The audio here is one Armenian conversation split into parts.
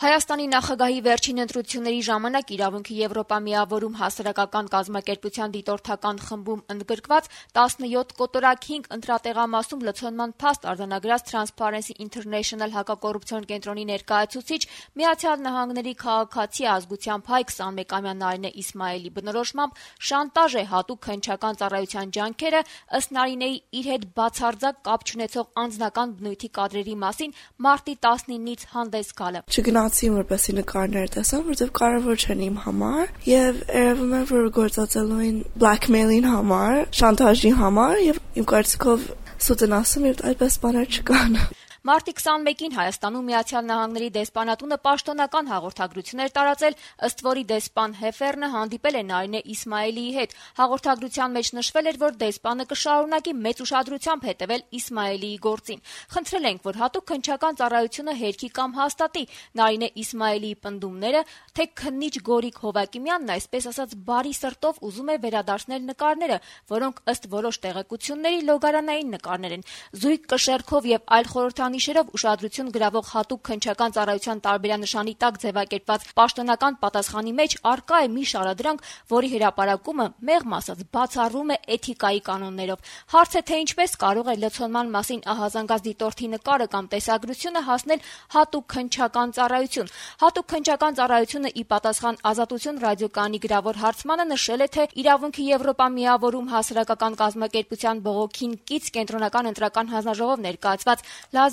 Հայաստանի նախագահի վերջին ընտրությունների ժամանակ իրավունքի Եվրոպա միավորում հասարակական կազմակերպության դիտորդական խմբում ընդգրկված 17 կոտորակ 5 ընտրատեղամասում լցոնման փաստ արձանագրած Transparency International հակակոռուպցիոն կենտրոնի ներկայացուցիչ ԱՄՆ-ի քաղաքացի ազգությամբ հայ 21-ամյա Նարինե Իսմայելի բնորոշմամբ շանտաժ է հատուկ քննչական ծառայության ջանքերը ըստ Նարինեի իր հետ բացարձակ կապ չունեցող անձնական բնույթի կադրերի մասին մարտի 19-ից հանդես գալը։ Չգնացի որպեսի նկարներ տեսամ, որովհետև կարևոր չեն իմ համար, եւ երևում է, որ գործածելու են blackmail-ին համար, շանտաժի համար, եւ իմ կարծիքով սուտ են ասում, եւ այդպես բաներ չկան։ Մարտի 21-ին Հայաստանում ԱՄՆ-ի դեսպանատունը պաշտոնական հաղորդագրություն էր տարածել, ըստ որի դեսպան Հեֆերնը հանդիպել է Նարինե Իսմայելիի հետ։ Հաղորդագրության մեջ նշվել էր, որ դեսպանը կշարունակի մեծ ուշադրությամբ հետևել Իսմայելիի գործին։ Խնդրել ենք, որ հատուկ քննչական ծառայությունը հերքի կամ հաստատի Նարինե Իսմայելիի պնդումները, թե քննիչ Գորիկ Հովակիմյանն այսպես ասած բարի սրտով ուզում է վերադարձնել նկարները, որոնք ըստ որոշ տեղեկությունների լոգարանային նկարներ են։ Զույգ կշեռքով եւ այլ խորհրդանիշերով ուշադրություն գրավող հատուկ քննչական ծառայության տարբերանշանի տակ ձևակերպված պաշտոնական պատասխանի մեջ արկա է մի շարադրանք, որի հրապարակումը մեղմ ասած բացառում է էթիկայի կանոններով։ Հարց է, թե ինչպես կարող է լցոնման մասին ահազանգած դիտորդի նկարը կամ տեսագրությունը հասնել հատուկ քննչական ծառայություն։ Հատուկ քննչական ծառայությունը ի պատասխան Ազատություն ռադիոկայանի գրավոր հարցմանը նշել է, թե իրավունքի Եվրոպա միավորում հասարակական կազմակերպության բողոքին կից կենտրոնական ընտրական հանձնաժողով ներկայացված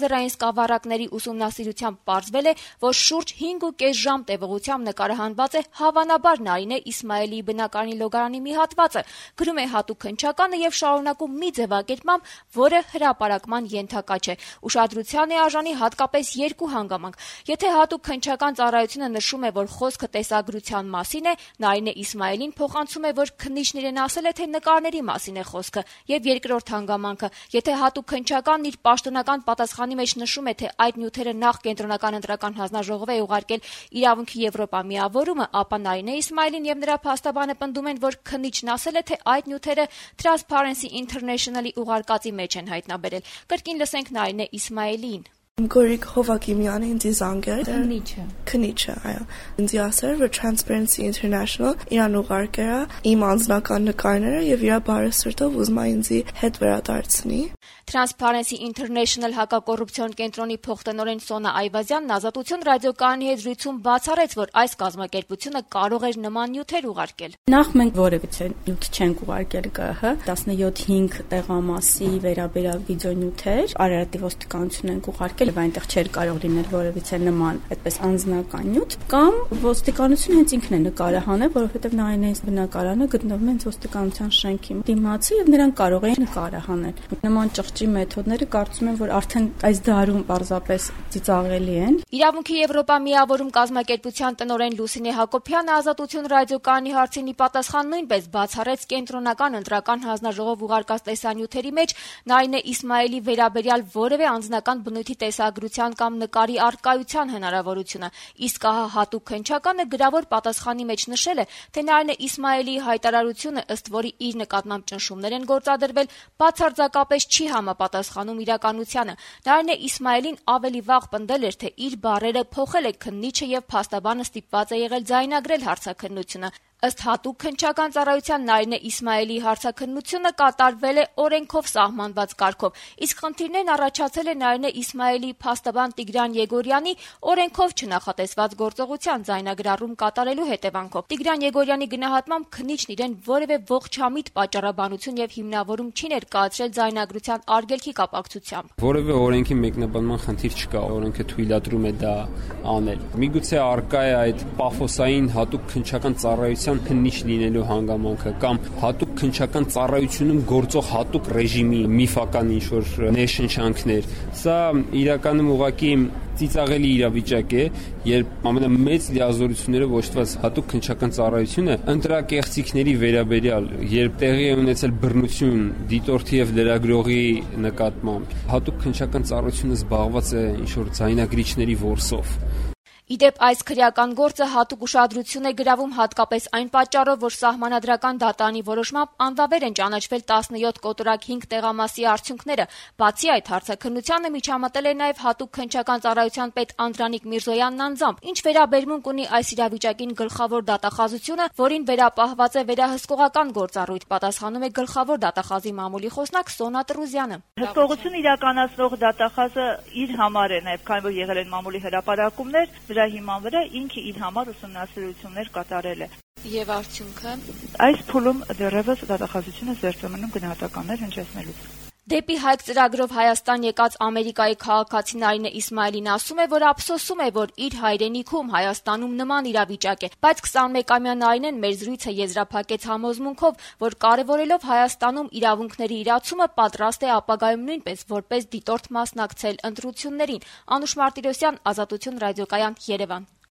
լազերային սկավառակների ուսումնասիրությամբ պարզվել է, որ շուրջ 5.5 ժամ տևողությամբ նկարահանված է հավանաբար Նարինե Իսմայելիի բնակարանի լոգարանի մի հատվածը, գրում է հատուկ քննչականը եւ շարունակում մի ձևակերպմամբ, որը հրապարակման ենթակա չէ։ Ուշադրության է արժանի հատկապես երկու հանգամանք։ Եթե հատուկ քննչական ծառայությունը նշում է, որ խոսքը տեսագրության մասին է, Նարինե Իսմայելին փոխանցում է, որ քննիչն իրեն ասել է, թե նկարների մասին է խոսքը, եւ երկրորդ հանգամանքը, եթե հատուկ քննչականն իր պաշտոնական պատասխանի մեջ նշում է, թե այդ նյութերը նախ կենտրոնական ընտրական հանձնաժողով է ուղարկել իրավունքի Եվրոպա միավորումը, ապա Նարինե Իսմայելին եւ նրա փաստաբանը պնդում են, որ քննիչն ասել է, թե այդ նյութերը Transparency International-ի ուղարկածի մեջ են հայտնաբերել։ Կրկին լսենք Նարինե Իսմայելիին։ Գորիկ Հովակիմյանը ինձ զանգել քննիչը, այո։ Ինձ ասել, որ Transparency International իրան ուղարկել է իմ անձնական նկարները եւ իր բարի սրտով ուզում է ինձ հետ վերադարձնի։ Transparency International հակակոռուպցիոն կենտրոնի փոխտնօրեն Սոնա Այվազյանն Ազատություն ռադիոկայանի հետ զրույցում բացառեց, որ այս կազմակերպությունը կարող էր նման նյութեր ուղարկել։ Նախ մենք որևիցե նյութ չենք ուղարկել ԿՀ 17-5 տեղամասի վերաբերյալ վիդեոնյութեր, Արարատի ոստիկանությունն ենք ուղարկել եւ այնտեղ չէր կարող լինել որևիցե նման այդպես անձնական նյութ, կամ ոստիկանությունը հենց ինքն է նկարահանել, որովհետեւ Նարինեի բնակարանը գտնվում է ոստիկանության շենքի դիմացի եւ նրանք կարող էին նկարահանել։ Նման ճղճի մեթոդները կարծում եմ, որ արդեն այս դարում պարզապես ծիծաղելի են։ Իրավունքի Եվրոպա միավորում կազմակերպության տնօրեն Լուսինե Հակոբյանը Ազատություն ռադիոկայանի հարցին ի պատասխան նույնպես բացառեց կենտրոնական ընտրական հանձնաժողով ուղարկած տեսանյութերի մեջ Նարինե Իսմայելի վերաբերյալ որևէ անձնական բնույթի տեսագրության կամ նկարի առկայության հնարավորությունը, իսկ ահա հատուկ քննչականը գրավոր պատասխանի մեջ նշել է, թե Նարինե Իսմայելիի հայտարարությունը, ըստ որի իր նկատմամբ ճնշումներ են գործադրվել, բացարձակապես չի համապատասխանում իրականությանը։ Նարինե Իսմայելին ավելի վաղ պնդել էր, թե իր բառերը փոխել է քննիչը եւ փաստաբանը ստիպված է եղել ձայնագրել հարցաքննությունը։ Ըստ հատուկ քննչական ծառայության Նարինե Իսմայելիի հարցաքննությունը կատարվել է օրենքով սահմանված կարգով, իսկ խնդիրներն առաջացել է Նարինե Իսմայելիի փաստաբան Տիգրան Եգորյանի օրենքով չնախատեսված գործողության ձայնագրառում կատարելու հետևանքով։ Տիգրան Եգորյանի գնահատմամբ քննիչն իրեն որևէ ողջամիտ պատճառաբանություն եւ հիմնավորում չի ներկայացրել ձայնագրության արգելքի կապակցությամբ։ Որևէ օրենքի մեկնաբանման խնդիր չկա, օրենքը թույլատրում է դա անել։ Միգուցե արկա է այդ պաֆոսային հատուկ քննչական ծառայության քննիչ լինելու հանգամանքը կամ հատուկ քննչական ծառայությունում գործող հատուկ ռեժիմի միֆական ինչ-որ ներշնչանքներ։ Սա իրականում ուղղակի ծիծաղելի իրավիճակ է, երբ ամենամեծ լիազորություններով ոչտված հատուկ քննչական ծառայությունը ընտրակեղծիքների վերաբերյալ, երբ տեղի է ունեցել բռնություն դիտորդի եւ լրագրողի նկատմամբ, հատուկ քննչական ծառայությունը զբաղված է ինչ-որ ձայնագրիչների որսով։ Իդեպ այս քրեական գործը հատուկ ուշադրություն է գրավում հատկապես այն պատճառով, որ սահմանադրական դատարանի որոշմամբ անվավեր են ճանաչվել 17 կոտորակ 5 տեղամասի արդյունքները։ Բացի այդ, հարցաքննությանը միջամտել է նաև հատուկ քննչական ծառայության պետ Անդրանիկ Միրզոյանն անձամբ։ Ինչ վերաբերմունք ունի այս իրավիճակին գլխավոր դատախազությունը, որին վերապահված է վերահսկողական գործառույթ, պատասխանում է գլխավոր դատախազի մամուլի խոսնակ Սոնա Տրուզյանը։ Հսկողություն իրականացնող դատախազը իր համար է նաև, քանի որ եղել են մամուլի հրապարակումներ, դրա հիման վրա ինքը իր համար ուսումնասիրություններ կատարել է։ Եվ արդյունքը այս փուլում դեռևս դատախազությունը զերծ է մնում գնահատականներ հնչեցնելուց։ Դեպի Հայք ծրագրով Հայաստան եկած Ամերիկայի քաղաքացի Նարինե Իսմայելին ասում է, որ ափսոսում է, որ իր հայրենիքում Հայաստանում նման իրավիճակ է, բայց 21-ամյա Նարինեն մեր զրույցը եզրափակեց համոզմունքով, որ կարևորելով Հայաստանում իրավունքների իրացումը պատրաստ է ապագայում նույնպես որպես դիտորդ մասնակցել ընտրություններին։ Անուշ Մարտիրոսյան, Ազատություն ռադիոկայան, Երևան։